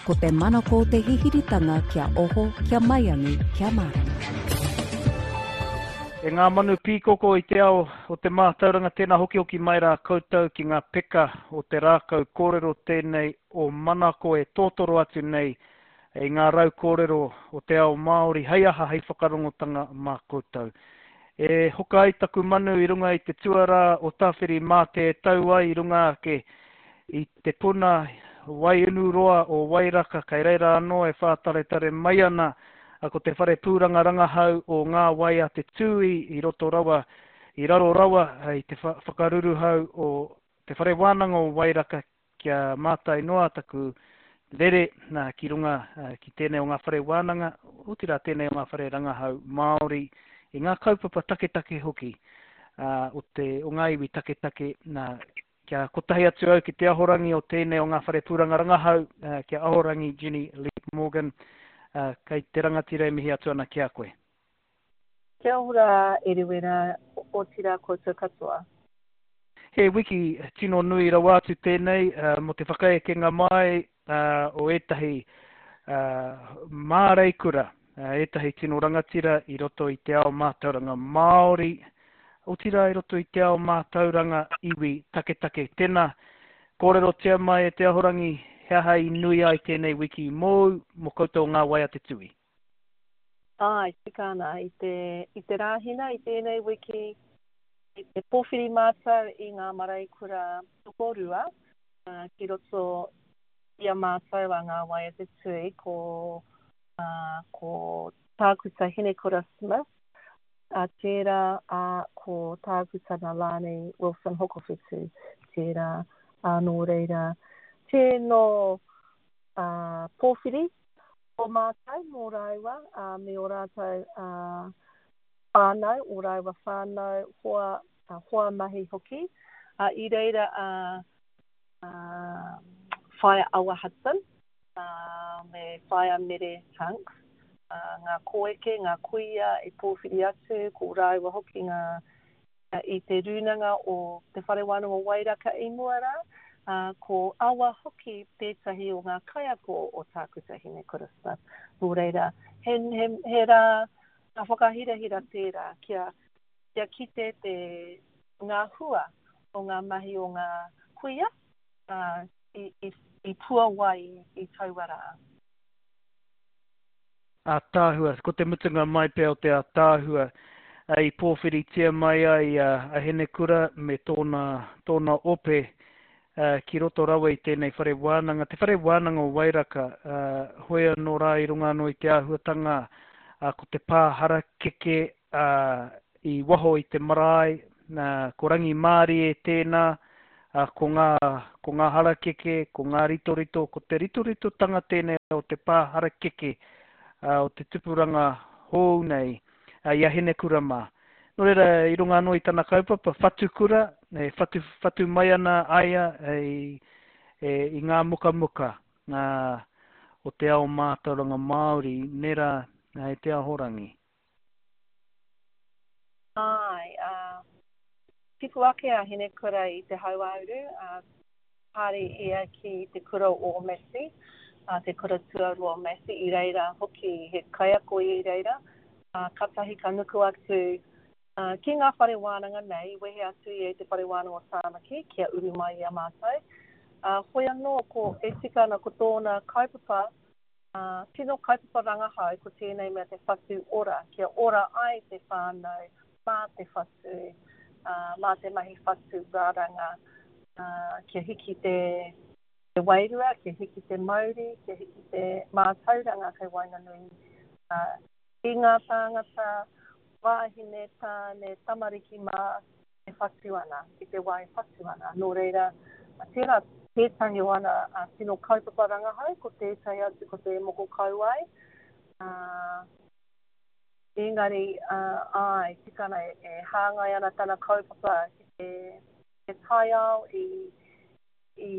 Ko te manako o te hihiritanga kia oho, kia maiangi, kia mārama. E ngā manu pīkoko i te ao o te mātauranga tēnā hokihoki mai rā koutou ki ngā peka o te rākau kōrero tēnei o Manako e tōtoro atu nei i ngā rau kōrero o te ao Māori hei aha hei whakarongotanga mā koutou. E hoka ai taku manu i runga i te tuarā o Tāwhirimātea e tau ai i runga ake i te puna waiunuroa o Wairaka kei reira anō e whātaretare mai ana ko te whare pūranga rangahau o Ngā Wai a Te Tūī i roto rawa, i raro rawa i te whakaruruhau o Te Whare Wānanga o Wairaka kia mātai noa taku rere nā, ki runga ki tēnei o ngā whare wānanga, otirā tēnei o ngā whare rangahau Māori, i ngā kaupapa taketake hoki o, te, o ngā iwi taketake, nā, kia kotahi atu au ki te ahorangi o tēnei o ngā whare pūranga rangahau, kia ahorangi Jenny Leap Morgan, kei te rangatira e mihi atu ana ki a koe. Kia ora Eruera, otirā koutou katoa. He wiki tino nui rawa atu tēnei mō te whakaekenga mai o ētahi māreikura, ētahi tino rangatira i roto i te ao mātauranga Māori, otirā i roto i te ao mātauranga iwi taketake. Tēnā, kōrerotia mai e te Ahorangi he aha i nui ai tēnei wiki mōu, mō koutou o Ngā Wai a Te Tūi. Āe, tika ana. I te, i te Rāhina, i tēnei wiki, i te pōwhiri mātou i ngā mareikura tokorua ki roto i a mātou a Ngā Wai a Te Tui, ko, ā, ko Tākuta Hinekura Smith, ā, tērā, ā, ko Tākuta Nalani Wilson Hokowhitu tērā, ā, nō reira, tēnō, ā, pōwhiri o mātou mō rāua me ō rātou whānau, ō rāua whānau, hoa, hoa mahi hoki. I reira a Whaea Awa Hudson me Whaea Mere Hanks, ngā kōeke, ngā kuia i pōwhiri atu, ko rāua hoki ngā i te rūnanga o Te Whare Wānanga o Wairaka i mua rā, ā, ko Awa hoki tētahi o ngā kaiako o Tākuta Hinekura Smith. Nō reira, he, he, he rā whakahirahira tērā kia, kia kite te, ngā hua o ngā mahi o ngā kuia, ā, i, i, i puawai i taua rā. Ātaahua, ko te mutunga mai pea o te ātaahua i pōwhiritia mai ai a Hinekura me tōna, tōna ope ki roto rawa i tēnei whare wānanga, te whare wānanga o Wairaka, hoi anō rā i runga anō i te āhuatanga ko te pā harakeke i waho i te marae, ko Rangimārie tēnā, ko ngā, ko ngā harakeke, ko ngā ritorito, ko te ritoritotanga tēnei o te pā harakeke o te tupuranga hou nei i a Hinekura mā. Nō reira, i runga anō i tana kaupapa, whatukura, e whatu, whatu mai ana a ia i, i ngā mukamuka o te ao mātauranga Māori, nē rā, e te ahorangi. Āe, ā, tipu ake a Hinekura i te hauāuru, ā, haere ia ki te kura o Massey, ā, te kura tuarua o Massey, i reira hoki he kaiako i reira, ā, katahi ka nuku atu, ā, ki ngā whare wānanga nei, i wehe atu ia i te whare wānanga o Tāmaki kia uru mai i a mātou. Ā, hoi anō, ko, e tika ana ko tōna kaupapa, Ā, tino kaupapa rangahau ko tēnei mea te whatu ora, kia ora ai te whānau mā te whatu, ā, mā te mahi whatu raranga, ā, kia hiki te, te wairua, kia hiki te mauri, kia hiki te mātauranga kei waenganui, ā, i ngā tāngata, wāhine, tāne, tamariki mā, e whatu ana, i te wā e whatu ana. Nō reira, tērā tētahi o ana tino kaupapa rangahau, ko tētahi atu ko te moko kauae. Engari, āe, tika ana, e hāngai ana tana kaupapa ki te, te taiao i, i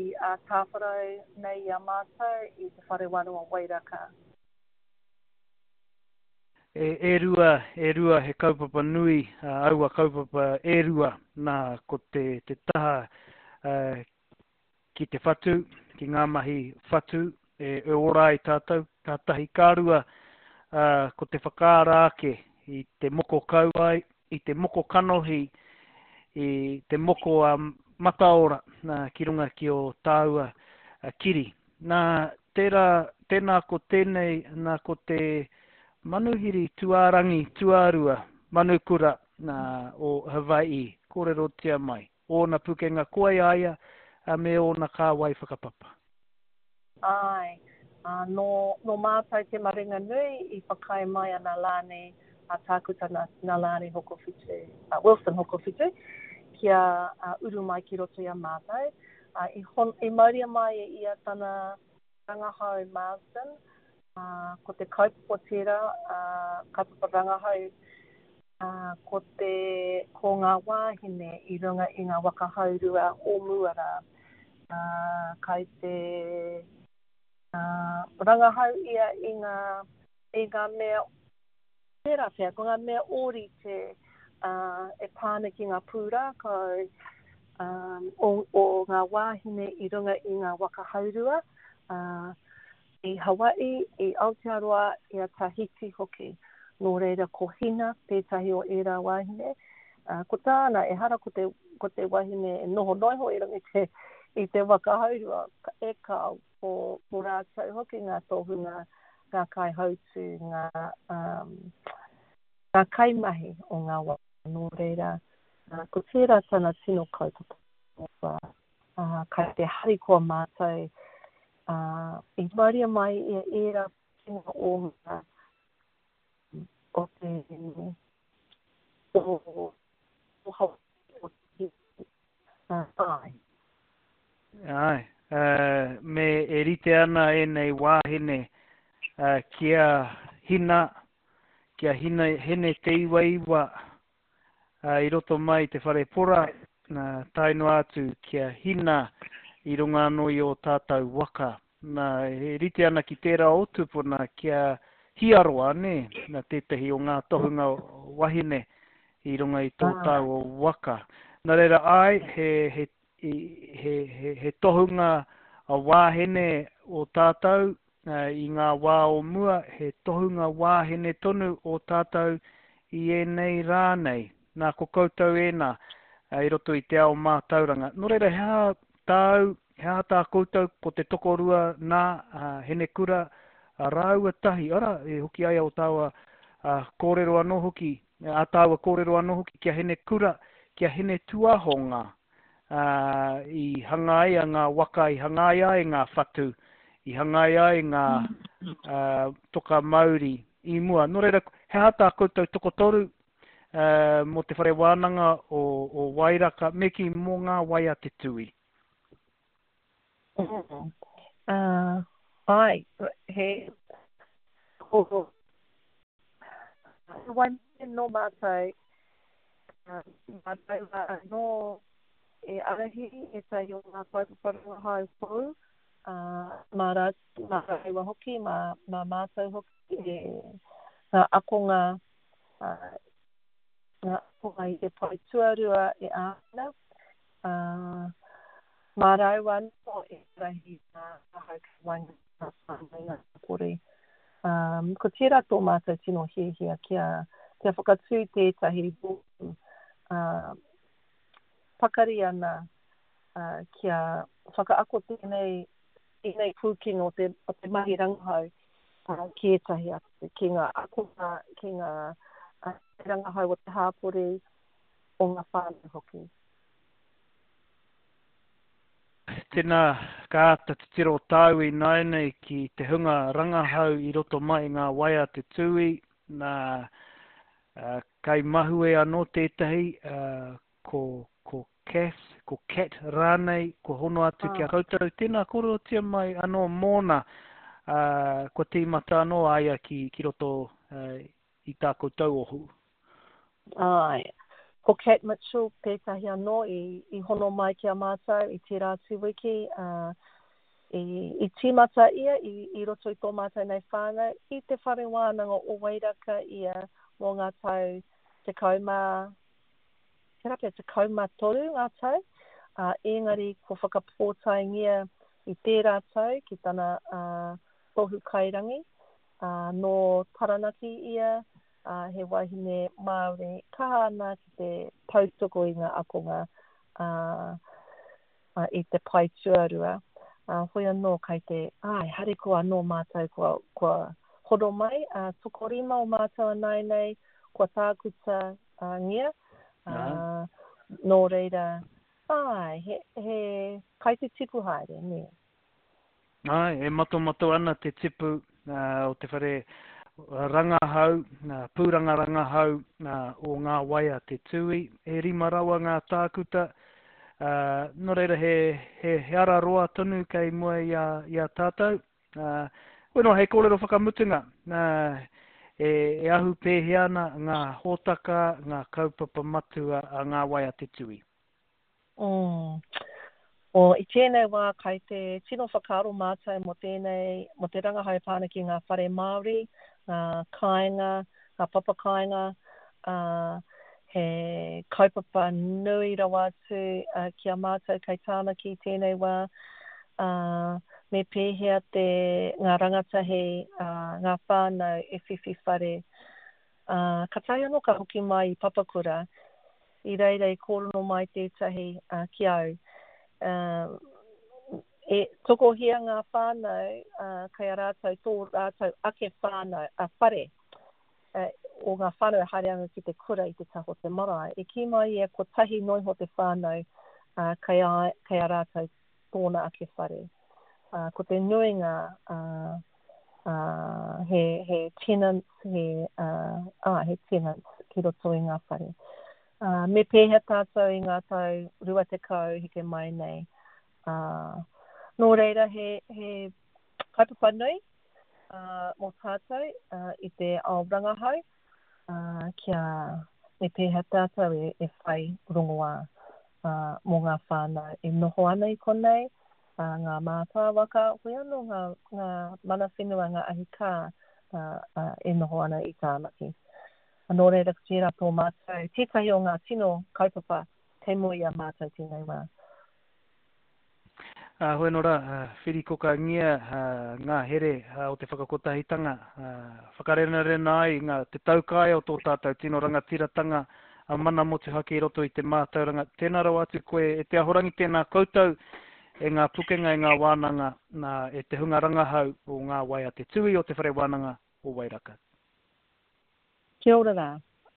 tāwharau nei i a mātou i Te Whare Wānanga o Wairaka. E rua, e rua he kaupapa nui, aua kaupapa e rua, nā, ko te, te taha ki te whatu, ki ngā mahi whatu, E ora ai tātou, ka tahi, ka rua, ko te whakaara ake i te moko kauae, i te moko kanohi, i te moko a mataora ki runga ki ō tāua kiri. Nā, tērā, tēnā ko tēnei, nā ko te manuhiri tuārangi tuarua, manukura, nā, o Hawaii, kōrerotia mai, ōna pukenga koe a ia, me ōna kāwai whakapapa. Āe, ā, nō, nō mātou te maringa nui i whakaae mai a Nalani, a Tākuta Nalani Hokowhitu, a Wilson Hokowhitu, kia uru mai ki roto i a mātou. Ā, i hon, i mauria mai e ia tana rangahau Marsden, ā, ko te kaupapa tērā, ā, kaupapa rangahau, ā, ko te, ko ngā wāhine i runga i ngā waka haurua o mua rā. Ā, kai te, ā, rangahau ia i ngā, i ngā mea, tērā pea, ko ngā mea ōrite, ā, e pā ana ki ngā pūrākau, ā, o, o ngā wāhine i runga i ngā waka haurua, ā, i Hawaii, i Aotearoa, i a Tahiti hoki. Nō reira, ko Hina tētahi o ērā wāhine. Ā, ko tāna, ehara ko te, ko te wahine e noho noa iho i runga i te, i te waka haurua, e kāo, ko, ko rātou hoki ngā tohunga, ngā kaihautū, ngā, um, ngā kaimahi o ngā waka. Nō reira, ā, ko tērā tana tino kaupapa. Ā, kai te harikoa mātou, ā, i mauria mai e ērā pūkenga o ngā, o te, o, o Hawaii, o te, ā, āe. Āe, ā, me e rite ana ēnei wāhine, ā, ki a Hina, ki a Hina, Hine Te Iwaiwa, ā, i roto mai i te whare pora, nā, tae noa atu ki a Hina i runga anō i ō tātou waka. Nā, e rite ana ki tērā o tupuna ki a Hiaroa, nē, nā tētahi o ngā tohunga wahine i runga i tō tāua waka. Nā reira, āe, he, he, he, he, he tohunga wāhine o tātou, I ngā wā o mua, he tohunga wāhine tonu ō tātou i ēnei rā nei. Nā, ko koutou ēnā i roto i te ao mātauranga. Nō reira, he aha tāu, he aha tā koutou, ko te tokorua nā, a Hinekura rāua tahi, arā, e hoki ai ō tāua kōrero anō hoki, ā tāua kōrero anō hoki ki a Hinekura, ki a Hinetuahonga. ā, i hangaia ngā waka, i hangaia ai ngā whatu, i hangaia ai ngā ā, toka mauri i mua. Nō reira, he aha tā koutou tokotoru ā, mō te whare wānanga o, o Wairaka, me kī, mō ngā wai a te tūī? Mm. Uh, ai, he ko wai nō mātou Mā rāua anō e ārahi ētahi o ngā kaupapa rangahau hou, ā, mā rātou, mā rāua hoki, mā, mā mātou hoki e ngā akonga, ā, ngā akonga i te pae tuarua e āwhina, ā, mā rāua anō e ārahi ngā rangahau kei waenga i ngā whānau, ngā hapori. Ā, ko tērā tō mātou tino hiahia kia, kia whakatū tētahi rōpū, ā, pakari ana, ā, kia whakaako tēnei, ēnei pūkenga o te, o te mahi rangahau, ā, ki ētahi atu, ki ngā akonga, ki ngā rangahau o te hāpori, o ngā whānau hoki. Tēnā, ka āta titiro tāu ināianei ki te hunga rangahau i roto mai i ngā wai a te tūī, nā, kai mahue anō tētahi, ko, ko Cath, ko Cat rānei, kua hono atu ki a koutou. Tēnā, kōrerotia mai anō mōna, kua tīmata anō a ia ki, ki roto i tā koutou ohu. Āe. Ko Cat Mitchell tētahi anō i, i hono mai ki a mātou i tērā atu wiki, ā, i, i tīmata ia i, i roto i tō mātou nei whānau i te whare wānanga o Wairaka ia mō ngā tau 10, tērā pea 13 ngā tau, ā, engari kua whakapōtaengia. i tērā tau ki tana tohu kairangi. Nō Taranaki ia, he wahine Māori kaha ana ki te tautoko i ngā akonga i te pae tuarua. Hoi anō kai te, āe, harikoa anō mātou kua, kua hono mai, tokorima o mātou ināianei kua tākuta ngia, nō reira, āe, he, he kai te tipu haere, nē. Āe, e matomato ana te tipu o te whare rangahau, pūranga rangahau o Ngā Wai a Te Tūi. E rima rawa ngā tākuta, nō reira he, he, he ara roa tonu kei mua i a, i a tātou. Hoi nō, hei kōrero whakamutunga, e, e ahu pēhea ana ngā hōtaka, ngā kaupapa matua a Ngā Wai a Te Tūi? Mm. O, i tēnei wā kai te tino whakaaro mātou mō tēnei, mō te rangahau e pā ana ki ngā whare Māori, ngā kāinga, ngā papa kāinga, ā, he kaupapa nui rawa atu ki a mātou kei Tāmaki i tēnei wā, ā, me pēhea te, ngā rangatahi, ā, ngā whānau e whiwhi whare Ā, katahi anō ka hoki mai i Papakura, i reira i kōrero mai tētahi ki au, ā, e tokohia ngā whānau, ā, kei a rātou tō rātou ake whānau, ā, whare, ā, o ngā whānau e haere ana ki te kura i te taha o te marae. I kī mai ia kotahi noa iho te whānau, ā, kei a, kei a rātou tōna ake whare. Ā, ko te nuinga, ā, ā, he, he tenants, he, ā, ā, he tenants ki roto i ngā whare. Ā, me pēhea tātou i ngā tau 20 heke mai nei. Ā, nō reira, he, he kaupapa nui, ā, mō tātou, ā, i te ao rangahau, ā, kia me pēhea tātou e, e whai rongoā, ā, mō ngā whānau e noho ana i konei, ā, ngā mātāwaka, hoi anō ngā, ngā mana whenua, ngā ahi kā, ā, ā, e noho ana i Tāmaki. Nō reira, ko tērā tō mātou, tētahi o ngā tino kaupapa kei mua i a mātou tēnei wā. Ā, hoi anō rā, whirikokangia ngā here o te whakakotahitanga, whakarenarena ai ngā, te taukaea o tō tātou tino rangatiratanga a mana motuhake i roto i te mātauranga. Tēnā rawa atu koe e te Ahorangi, tēnā koutou e ngā pukenga, e ngā wānanga, nā, e te hunga rangahau o Ngā Wai a Te Tūī o Te Whare Wānanga o Wairaka. Kia ora rā.